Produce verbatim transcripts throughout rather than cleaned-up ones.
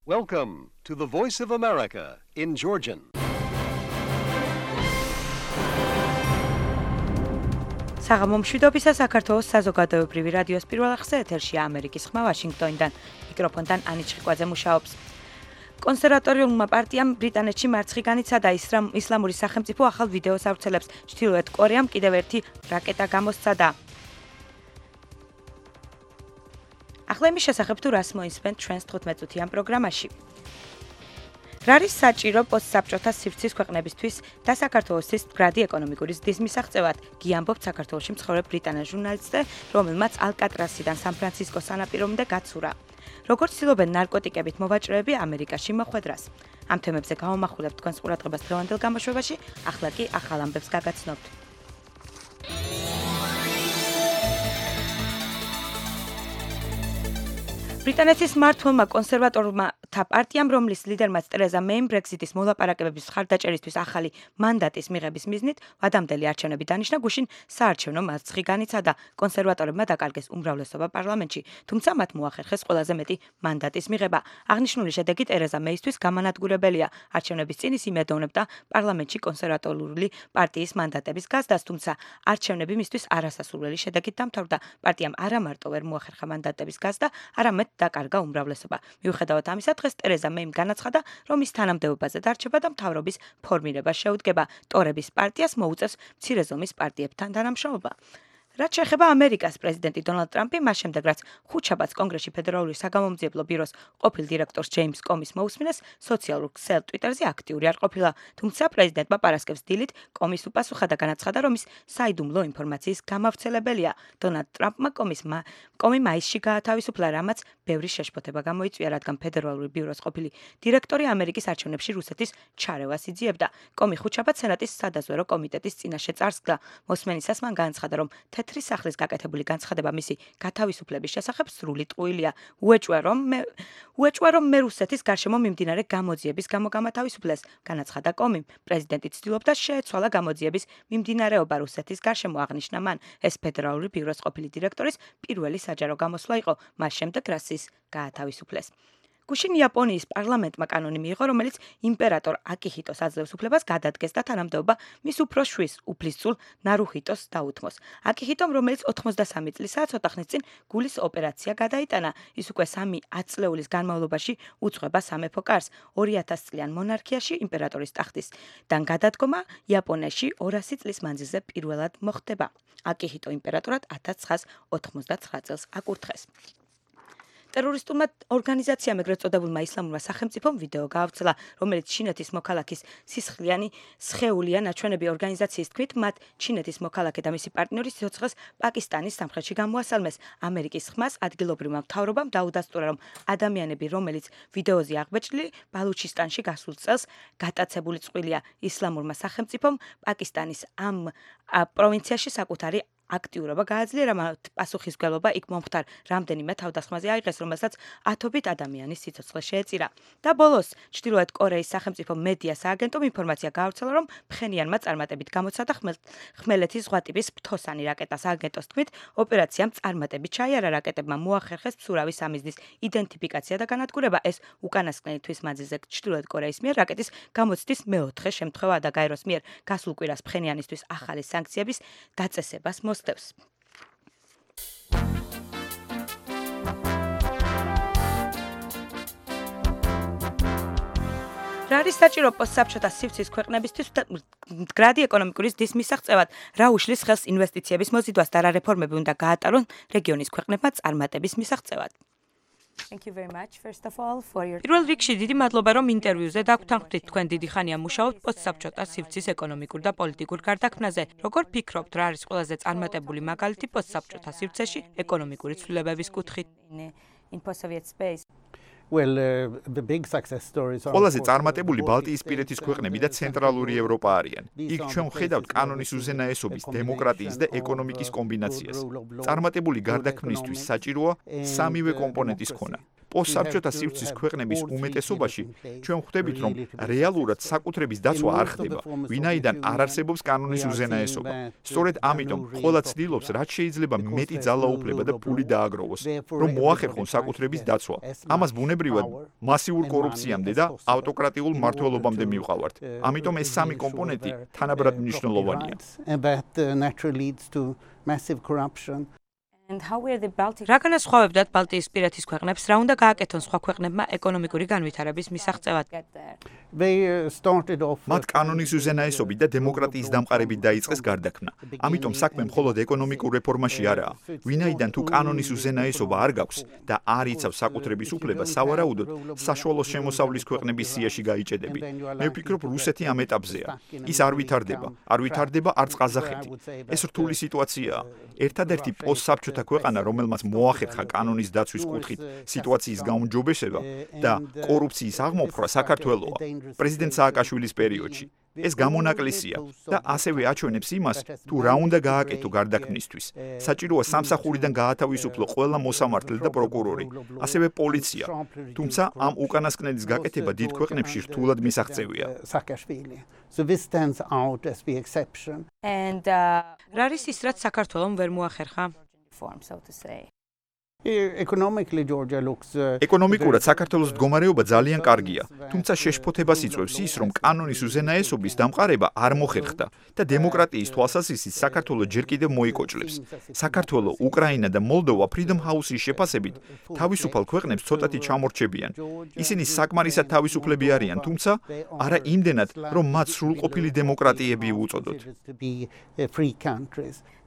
Welcome to the Voice of America in Georgian. საღამომშვიდობისა საქართველოს საზოგადოებრივი რადიოს პირველ ახსე ეთერშია ამერიკის ხმა ვაშინგტონიდან. მიკროფონთან ანი ჩხიკვაძე მუშაობს. კონსერვატორიულმა პარტიამ ბრიტანეთში მარცხი განიცადა ისლამური სახელმწიფო ახალ ვიდეოს ავრცელებს. ჩრდილოეთ კორეამ კიდევ ერთი რაკეტა გამოსცადა. ახლა იმის შესახებ თუ რას მოისმენთ ჩვენს თხუთმეტ-წუთიან პროგრამაში. რა არის საჭირო პოსტსაბჭოთა სივრცის ქვეყნებისთვის და საქართველოსთვის მდგრადი ეკონომიკური ზრდის მისაღწევად? გიამბობთ საქართველოში მცხოვრებ ბრიტანელ ჟურნალისტზე, რომელმაც ალკატრასიდან სან-ფრანცისკოს სანაპირომდე გაცურა. როგორც ცდილობენ ნარკოტიკებით მოვაჭრეები ამერიკაში მოხვედრას. ამ თემებზე გავამახვილებთ თქვენს ყურადღებას დღევანდელ გამოშვებაში, ახლა კი ახალ ამბებს გაგაცნობთ. ბრიტანეთის მმართველმა კონსერვატორმა პარტიამ, რომლის ლიდერმაც ტერეზა მეიმ ბრექსიტის მოლაპარაკებების მხარდაჭერისთვის ახალი მანდატის მიღების მიზნით ვადამდელი არჩევნები დანიშნა, გუშინ საარჩევნო მარცხი განიცადა. კონსერვატორებმა დაკარგეს უმრავლესობა პარლამენტში, თუმცა მათ მოახერხეს ყველაზე მეტი მანდატის მიღება. აღნიშნული შედეგი ტერეზა მეისთვის გამანადგურებელია. არჩევნების წინ ის იმედოვნებდა პარლამენტში კონსერვატორული პარტიის მანდატების გაზრდას, თუმცა არჩევნები მისთვის არასასურველი შედეგით დამთავრდა. პარტიამ არა მარტო ვერ მოახერხა მანდატების გაზრდა, არამედ დაკარგა უმრავლესობა. მიუხედავად ამისა, დღეს ტერეზა მეიმ განაცხადა, რომ ის თანამდებობაზე დარჩება და მთავრობის ფორმირება შეუდგება. ტორების პარტიას მოუწევს მცირე ზომის პარტიებთან თანამშრომლობა. რაც შეეხება ამერიკას, პრეზიდენტი დონალდ ტრამპი მას შემდეგ, რაც ხუთშაბათს კონგრესში ფედერალური საგამომძიებლო ბიუროს ყოფილ დირექტორს ჯეიმს კომის მოусმინეს, სოციალურ ქსელ ტვიტერზე აქტიური არ ყოფილა. თუმცა პრეზიდენტმა პარასკევს დილით კომის უპასუხა და განაცხადა, რომ ის საიდუმლო ინფორმაციის გამავრცელებელია. დონალდ ტრამპმა კომის კომი მაისში გაათავისუფლა, რამაც ბევრი შეშფოთება გამოიწვია, რადგან ფედერალური ბიუროს ყოფილი დირექტორი ამერიკის არჩევნებში რუსეთის ჩარევას იძიებდა. კომი ხუთშაბათს სენატის სადაზვერო კომიტეტის წინაშე წარსდგა. მოსმენისას მან განაცხადა, რომ თეთრი სახლის გაკეთებული განცხადება მისი გათავისუფლების შესახებ სრული ტყუილია. უეჭვა, რომ მე უეჭვა, რომ მე რუსეთის გარშემო მიმდინარე გამოძიების გამო გამათავისუფლეს. განაცხადა კომიმ. პრეზიდენტი ცდილობდა შეეცვალა გამოძიების მიმდინარეობა რუსეთის გარშემო, აღნიშნა მან. ეს ფედერალური ბიუროს ყოფილი დირექტორის პირველი საჯარო გამოსვლა იყო, მას შემდეგ რაც ის გაათავისუფლეს. გუშინ იაპონიის პარლამენტმა კანონი მიიღო, რომელიც იმპერატორ აკიჰიტოს აძლევს უფლებას გადადგეს და თანამდებობა მის უფრო შვილს, უფლისწულ ნარუჰიტოს დაუთმოს. აკიჰიტომ, რომელიც ოთხმოცდასამი წლისაა, ცოტა ხნის წინ გულის ოპერაცია გადაიტანა. ის უკვე სამი ათწლეულის განმავლობაში უძღვება სამეფო კარს. ორი ათას წლიან მონარქიაში იმპერატორის ტახტისგან გადადგომა იაპონიაში ორასი წლის მანძილზე პირველად მოხდება. აკიჰიტო იმპერატორად ათას ცხრაას ოთხმოცდაცხრა წელს აკურთხეს. ტერორისტულმა ორგანიზაციამ, ეგრეთ წოდებულმა ისლამურმა სახელმწიფომ ვიდეო გაავრცელა, რომელიც ჩინეთის მოქალაქის სისხლიანი სხეულია. ნაჩვენები ორგანიზაციის თქმით, მათ ჩინეთის მოქალაქე და მისი პარტნიორი სიცოცხლეს პაკისტანის სამხრეთში გამოასალმეს. ამერიკის ხმას ადგილობრივმა მთავრობამ დაუდასტურა, რომ ადამიანები, რომელიც ვიდეოზე აღბეჭდილი, ბალუჩისტანში გასულ წელს გატაცებული წყვილია. ისლამურმა სახელმწიფომ პაკისტანის ამ პროვინციაში საკუთარი აქტიურობა გააძლიერა, რამაც პასუხისმგებლობა იქ მომხდარ რამდენიმე თავდასხმაზე აიღეს, რომელსაც ათობით ადამიანის სიცოცხლე შეეწირა. და ბოლოს, ჩრდილოეთ კორეის სახელმწიფო მედია სააგენტომ ინფორმაცია გაავრცელა, რომ ფხენიანმა წარმატებით გამოცადა ხმელეთის ზღვატიპის ფთოსანი რაკეტა. სააგენტოს თქმით, ოპერაციამ წარმატებით ჩაიარა, რაკეტებმა მოახერხეს მცურავი სამიზნის იდენტიფიკაცია და განადგურება. ეს უკანასკნელი თვის მანძილზე ჩრდილოეთ კორეის მიერ რაკეტის გამოცდის მეოთხე შემთხვევაა და გაეროს მიერ გასულ კვირას ფხენიანისთვის ახალი სანქციების დაწესებას მოსდევს. რა არის საჭირო პოსტსაბჭოთა სივრცის ქვეყნებისთვის მდგრადი ეკონომიკური ზრდის მისაღწევად? რა უშლის ხელს ინვესტიციების მოზიდვას და რა რეფორმები უნდა გაატარონ რეგიონის ქვეყნებმა წარმატების მისაღწევად? Thank you very much first of all for your პირველ რიგში დიდი მადლობა, რომ ინტერვიუზე დაგვთანხმდით. თქვენ დიდი ხანია მუშაობთ პოსტსაბჭოთა სივრცის ეკონომიკურ და პოლიტიკურ გარდაქმნაზე. როგორ ფიქრობთ, რა არის ყველაზე წარმატებული მაგალითი პოსტსაბჭოთა სივრცეში ეკონომიკური ცვლილებების კუთხით? in post-Soviet space? Well, uh, the big success stories are ყველაზე წარმატებული ბალტიისპირეთის ქვეყნები და ცენტრალური ევროპა არიან. იქ ჩვენ ვხედავთ კანონის უზენაესობის, დემოკრატიის და ეკონომიკის კომბინაციას. წარმატებული გარდაქმნისთვის საჭიროა სამივე კომპონენტის ქონა. პოსტსაბჭოთა სივრცის ქვეყნების უმეტესობაში ჩვენ ხვდებით, რომ რეალურად საკუთრების დაცვა არ ხდება, ვინაიდან არ არსებობს კანონის უზენაესობა. სწორედ ამიტომ ყველა ცდილობს, რაც შეიძლება მეტი ძალაუფლება და ფული დააგროვოს, რომ მოახერხონ საკუთრების დაცვა. ამას ბუნებრივად მასიურ კორუფციამდე და ავტოკრატიულ მმართველობამდე მივყავართ. ამიტომ ეს სამი კომპონენტი თანაბრად მნიშვნელოვანია. And how were the Baltic რა განასხვავებდათ ბალტიისპირეთის ქვეყნებს, რა უნდა გააკეთონ სხვა ქვეყნებმა ეკონომიკური განვითარების მისაღწევად? get there? მათ კანონის უზენაესობით და დემოკრატიის დამყარებით დაიწყეს გარდაქმნა. ამიტომ საქმე მხოლოდ ეკონომიკურ რეფორმაში არაა. ვინაიდან თუ კანონის უზენაესობა არ გაქვს და არ იცავს საკუთრების უფლება, სავარაუდოდ საშუალო შემოსავლის ქვეყნების სიაში გაიჭედებით. მე ვფიქრობ, რუსეთი ამ ეტაპზეა. ის არ ვითარდება, არ ვითარდება არც ყაზახეთი. ეს რთული სიტუაციაა. ერთადერთი პოსტსაბჭოთა ქვეყანა, რომელმაც მოახერხა კანონის დაცვის კუთხით სიტუაციის გაუმჯობესება და კორუფციის აღმოფხვრა საქართველოა. პრეზიდენტ სააკაშვილის პერიოდში. ეს გამონაკლისია და ასევე აჩვენებს იმას, თუ რა უნდა გააკეთო გარდაქმნისთვის. საჭიროა სამსახურიდან გაათავისუფლო ყველა მოსამართლე და პროკურორი, ასევე პოლიცია. თუმცა ამ უკანასკნელის გაკეთება დიდ ქვეყნებში რთულად მისაღწევია. So this stands out as the exception. And uh, რა არის ის, რაც საქართველომ ვერ მოახერხა? form, so to say. Economically, Georgia looks. ეკონომიკურად საქართველოს მდგომარეობა ძალიან კარგია, თუმცა შეშფოთებას იწვევს ის, რომ კანონის უზენაესობის დამყარება არ მოხერხდა და დემოკრატიის თვალსაზრისით საქართველოს ჯერ კიდევ მოიკოჭლებს. საქართველო, უკრაინა და მოლდოვა Freedom House-ის შეფასებით თავისუფალ ქვეყნებს ცოტათი ჩამორჩებიან. ისინი საკმარისად თავისუფლები არიან, თუმცა არა იმდენად, რომ მათ სრულყოფილი დემოკრატიები უწოდოთ.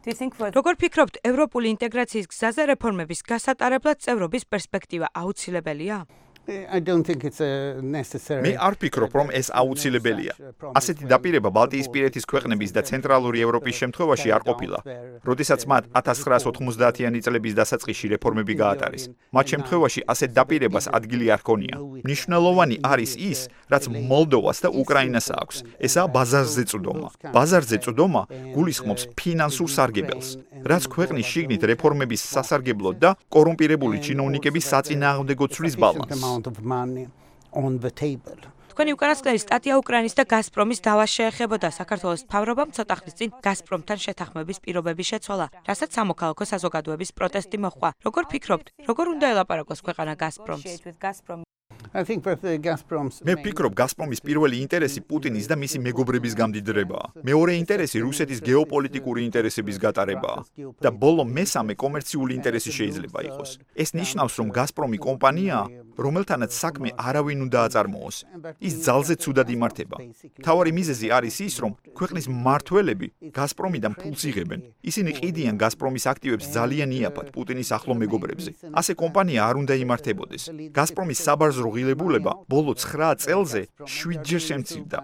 Do you think for როგორ ფიქრობთ, ევროპული ინტეგრაციის გზაზე რეფორმების გასატარებლად წევრობის პერსპექტივა აუცილებელია? I don't think it's a necessary. მე არ ვფიქრობ, რომ ეს აუცილებელია. ასეთი დაპირება ბალტიისპირეთის ქვეყნების და ცენტრალური ევროპის შემთხვევაში არ ყოფილა. როდესაც მათ ათას ცხრაას ოთხმოცდაათიანი წლების დასაწყისში რეფორმები გაატარეს. მათ შემთხვევაში ასეთ დაპირებას ადგილი არ ჰქონია. მნიშვნელოვანი არის ის, რაც მოლდოვას და უკრაინას აქვს. ესაა ბაზარზე წვდომა. ბაზარზე წვდომა გულისხმობს ფინანსურ სარგებელს, რაც ქვეყნის შიგნით რეფორმების სასარგებლოდ და კორუმპირებული ჩინოვნიკების საწინააღმდეგო ცვლის ბალანსს. Of money on the table. თქვენი უკანასკნელი სტატია უკრაინის და გაზპრომის დავას შეეხებოდა. საქართველოს მთავრობამ ცოტა ხნის წინ გაზპრომთან შეთანხმების პირობები შეცვალა, რასაც სამოქალაქო საზოგადოების პროტესტი მოჰყვა. როგორ ფიქრობთ, როგორ უნდა ელაპარაკოს ქვეყანა გაზპრომს? negotiate with Gazprom? I think that the Gazprom's მე ვფიქრობ, გაზპრომის პირველი ინტერესი პუტინის და მისი მეგობრების გამდიდრებაა. მეორე ინტერესი რუსეთის გეოპოლიტიკური ინტერესების გატარებაა და ბოლო მესამე კომერციული ინტერესი შეიძლება იყოს. ეს ნიშნავს, რომ გაზპრომი კომპანიაა, რომელთანაც საქმე არავინ უნდა აწარმოოს. ის ძალზე ცუდად იმართება. მთავარი მიზეზი არის ის, რომ ქვეყნის მმართველები გაზპრომიდან ფულს იღებენ. ისინი ყიდიან გაზპრომის აქტივებს ძალიან იაფად პუტინის ახლო მეგობრებზე. ასე კომპანია არ უნდა იმართებოდეს. გაზპრომის საბაზრო ღილებულება ბოლო ცხრა წელზე შვიდჯერ შემცირდა.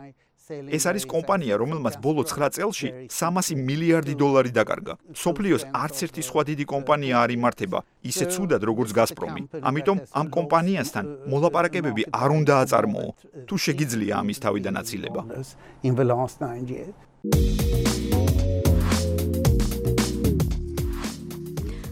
ეს არის კომპანია, რომელმაც ბოლო ცხრა წელში სამასი მილიარდი დოლარი დაკარგა. სოფლიოს არც ერთი სხვა დიდი კომპანია არ იმართება ისე ცუდად, როგორც გაზპრომი. ამიტომ ამ კომპანიასთან მოლაპარაკებები არ უნდა აწარმოო, თუ შეგიძლია ამის თავიდან აცილება. in the last nine years.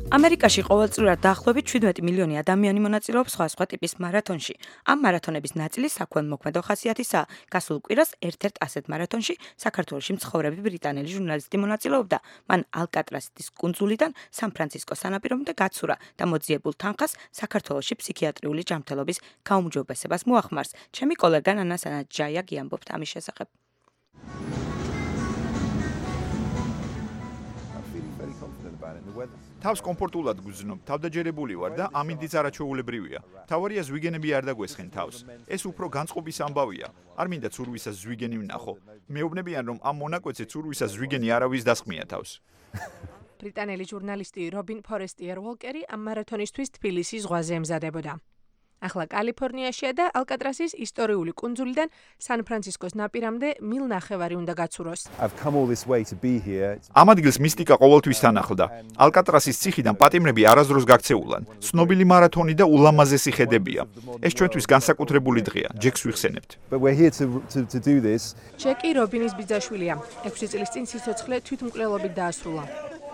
ამერიკაში ყოველწლიურად დაახლოებით შვიდმეტი მილიონი ადამიანი მონაწილეობს სხვადასხვა ტიპის მარათონში. ამ მარათონების ნაწილი საქველმოქმედო ხასიათისაა. გასულ კვირას ერთ-ერთ ასეთ მარათონში საქართველოში მცხოვრები ბრიტანელი ჟურნალისტი მონაწილეობდა. მან ალკატრასის კუნძულიდან სან-ფრანცისკოს სანაპირომდე გაცურა და მოძიებულ თანხას საქართველოში ფსიქიატრიული ჯანმრთელობის გაუმჯობესებას მოახმარს. ჩემი კოლეგა ნანა სანაჯაია გიამბობთ ამის შესახებ. თავს კომფორტულად გრძნობ, თავდაჯერებული ვარ და ამინდიც არაჩვეულებრივია. თავარია ზვიგენები არ დაგვესხენ თავს. ეს უფრო განწყობის ამბავია. არ მინდა ცურვისას ზვიგენი ვნახო. მეუბნებიან, რომ ამ მონაკვეთზე ცურვისას ზვიგენი არავის დასხმია თავს. ბრიტანელი ჟურნალისტი რობინ ფორესტიერ უოლკერი ამ მარათონისთვის თბილისის ზღვაზე ემზადებოდა. ახლა კალიფორნიაშია და ალკატრასის ისტორიული კუნძულიდან სან-ფრანცისკოს ნაპირამდე მილ ნახევარი უნდა გაცუროს. ამ ადგილს მისტიკა ყოველთვის თანახლდა. ალკატრასის ციხიდან პატიმრები არასდროს გაქცეულან. ცნობილი მარათონი და ულამაზესი ხედებია. ეს ჩვენთვის განსაკუთრებული დღეა. ჯეკს ვიხსენებთ. ჯეკი რობინის ბიძაშვილია. ექვსი წლის წინ სიცოცხლე თვითმკვლელობით დაასრულა.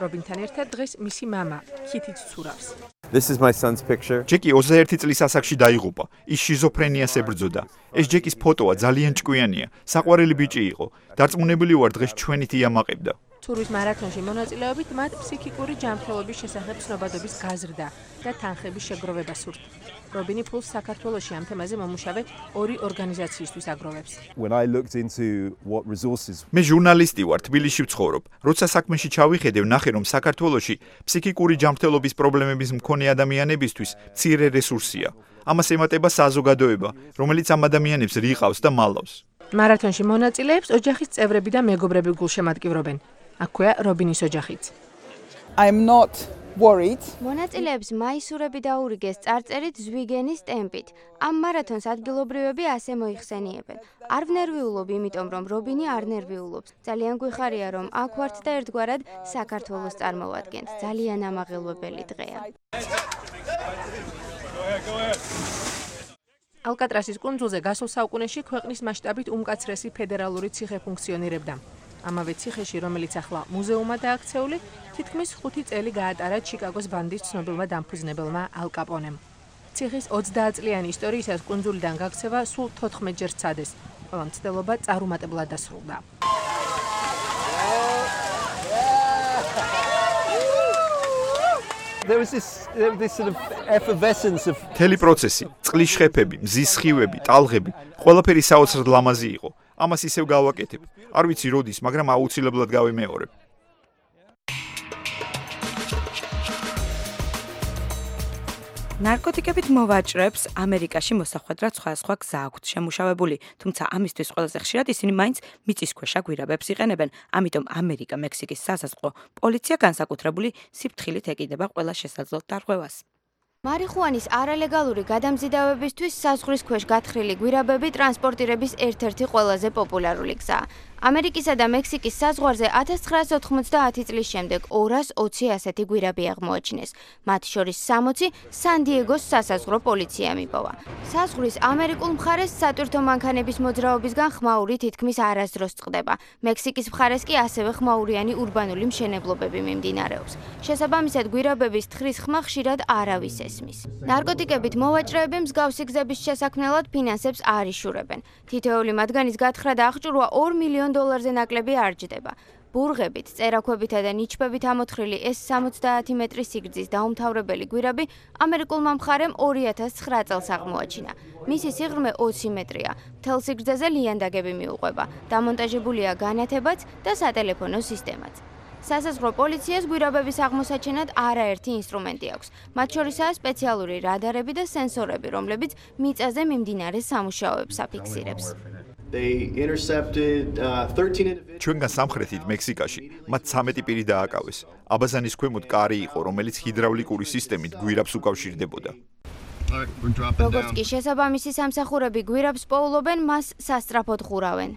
რობინთან ერთად დღეს მისი მამა, ქითიც ცურავს. This is my son's picture. ჯეკი ოცდაერთი წლის ასაკში დაიღუპა. ის შიზოფრენიას ებრძოდა. ეს ჯეკის ფოტოა ძალიან ჭკვიანია. საყვარელი ბიჭი იყო. დარწმუნებული ვარ დღეს ჩვენით იამაყებდა. ცურვის მარათონში მონაწილეობით მათ ფსიქიკური ჯანმრთელობის შესახებ ცნობადობის გაზრდა და თანხების შეგროვება სურთ. რობინი ფულს საქართველოში ამ თემაზე მომუშავე ორი ორგანიზაციისთვის აგროვებს. When I looked into what resources მე ჟურნალისტი ვარ, თბილისში ვცხოვრობ. როცა საქმეში ჩავიხედე, ვნახე რომ საქართველოში ფსიქიკური ჯანმრთელობის პრობლემების მქონე ადამიანებისთვის მცირე რესურსია. ამას ემატება საზოგადოება, რომელიც ამ ადამიანებს რიყავს და მალავს. მარათონში მონაწილეებს ოჯახის წევრები და მეგობრები გულშემატკივრობენ. აქვეა რობინის ოჯახიც. I'm not worried. მონაწილეებს მაისურები დაურიგეს წარწერით ზვიგენის ტემპით. ამ მარათონს ადგილობრივები ასე მოიხსენიებენ. არ ვნერვიულობ, იმიტომ რომ რობინი არ ნერვიულობს. ძალიან გვიხარია რომ აქ ვართ და ერთგვარად საქართველოს წარმოვადგენთ. ძალიან ამაღელვებელი დღეა. ალკატრასის კუნძულზე გასულ საუკუნეში ქვეყნის მასშტაბით უმკაცრესი ფედერალური ციხე ფუნქციონირებდა. ამავე ციხეში, რომელიც ახლა მუზეუმად აქცეული, თითქმის ხუთი წელი გაატარა ჩიკაგოს ბანდის ცნობილმა დამფუძნებელმა ალ კაპონემ. ციხის ოცდაათწლიანი ისტორიისას კუნძულიდან გაქცევა სულ თოთხმეტჯერ სცადეს, ყველა მცდელობა წარუმატებლად დასრულდა. there was this this sort of effervescence of მთელი პროცესი, წყლის შხეფები, მზის სხივები, ტალღები, ყველაფერი საოცრად ლამაზი იყო. ამას ისევ გავაკეთებ. არ ვიცი როდის, მაგრამ აუცილებლად გავიმეორებ. ნარკოტიკებით მოვაჭრებს ამერიკაში მოსახვედრად სხვადასხვა გზა აქვთ შემუშავებული, თუმცა ამისთვის ყველაზე ხშირად ისინი მაინც მიწისქვეშა გვირაბებს იყენებენ, ამიტომ ამერიკა მექსიკის სასაზღვრო პოლიცია განსაკუთრებული სიფრთხილით ეკიდება ყველა შესაძლო დარღვევას. მარიხუანის არალეგალური გადამზიდავებისთვის საზღვრის ქვეშ გათხრილი გვირაბები ტრანსპორტირების ერთ-ერთი ყველაზე პოპულარული გზაა. ამერიკისა და მექსიკის საზღვარზე ათას ცხრაასი ოთხმოცდაათი წლის შემდეგ ორას ოცი ასეთი გვირაბი აღმოაჩინეს. მათ შორის სამოცი სან-დიეგოს სასაზღვრო პოლიციამ იპოვა. საზღვრის ამერიკულ მხარეს სატვირთო მანქანების მოძრაობისგან ხმაური თითქმის არასდროს წყდება. მექსიკის მხარეს კი ასევე ხმაურიანი ურბანული მშენებლობები მიმდინარეობს. შესაბამისად, გვირაბების თხრის ხმა ხშირად არავის ესმის. ნარკოტიკებით მოვაჭრეები მსგავსი გზების შესაქმნელად ფინანსებს არ იშურებენ. თითოეული მათგანის გათხრა და აღჭურვა ორ მილიონ დოლარზე ნაკლები არ ჯდება. ბურღებით, წერაქვებითა და ნიჩბებით ამოთხრილი ეს სამოცდაათი მეტრის სიგრძის დაუმთავრებელი გვირაბი ამერიკულმა მხარემ ორი ათას ცხრა წელს აღმოაჩინა. მისი სიღრმე ოცი მეტრია. მთელ სიგრძეზე ლიანდაგები მიუყვება. დამონტაჟებულია განათებაც და სატელეფონო სისტემაც. სასაზღვრო პოლიციას გვირაბების აღმოსაჩენად არაერთი ინსტრუმენტი აქვს. მათ შორისაა სპეციალური რადარები და სენსორები, რომლებიც მიწაზე მიმდინარე სამუშაოებს აფიქსირებს. ჩვენგან სამხრეთით მექსიკაში მათ ცამეტი პირი დააკავეს. აბაზანის ქვემოთ კარი იყო, რომელიც ჰიდრავლიკური სისტემით გვირაბს უკავშირდებოდა. როგორც კი შესაბამისი სამსახურები გვირაბს პოულობენ, მას სასწრაფოდ ხურავენ.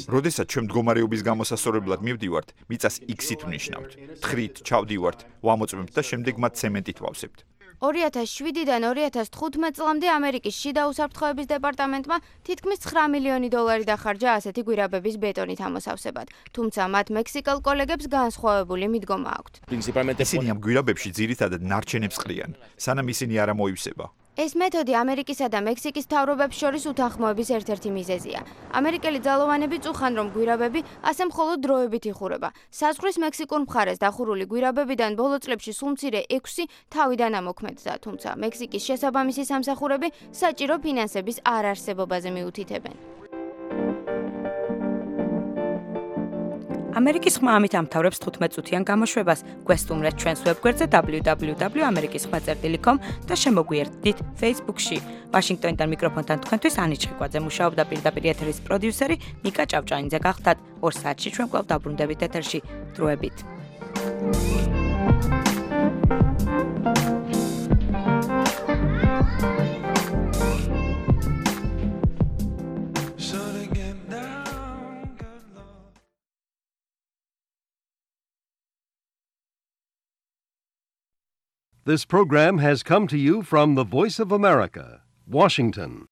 როდესაც ჩვენ მდგომარეობის გამოსასწორებლად მივდივართ, მიწას X-ით ვნიშნავთ. თხრით ჩავდივართ, ვამოწმებთ და შემდეგ მათ ცემენტით ვავსებთ. ორი ათას შვიდიდან ორი ათას თხუთმეტ წლამდე ამერიკის შიდა უსაფრთხოების დეპარტამენტმა თითქმის ცხრა მილიონი დოლარი დახარჯა ასეთი გვირაბების ბეტონით ამოსავსებად, თუმცა მათ მექსიკელ კოლეგებს განსხვავებული მიდგომა აქვთ. ისინი ამ გვირაბებში ძირითადად ნარჩენებს ყრიან, სანამ ისინი არ ამოივსება. ეს მეთოდი ამერიკისა და მექსიკის მთავრობებს შორის უთანხმოების ერთ-ერთი მიზეზია. ამერიკელი ძალოვანები წუხან, რომ გვირაბები ასე მხოლოდ დროებით იხურება. საზღვრის მექსიკურ მხარეს დახურული გვირაბებიდან ბოლო წლებში სულ მცირე ექვსი თავიდან ამოქმედდა, თუმცა მექსიკის შესაბამისი სამსახურები საჭირო ფინანსების არარსებობაზე მიუთითებენ. ამერიკის ხმა ამით ამთავრებს თხუთმეტ წუთიან გამოშვებას. გვესტუმრეთ ჩვენს ვებგვერდზე დაბლიუ დაბლიუ დაბლიუ ამერიკის ხმა წერტილი კომ და შემოგვიერთდით Facebook-ში. ვაშინგტონიდან მიკროფონთან თქვენთვის ანი ჩხიკვაძე მუშაობდა, პირდაპირ ეთერის პროდიუსერი ნიკა ჭავჭანიძე გახდათ. ორ საათში ჩვენ კვლავ დაბრუნდებით ეთერში. დროებით. This program has come to you from the Voice of America, Washington.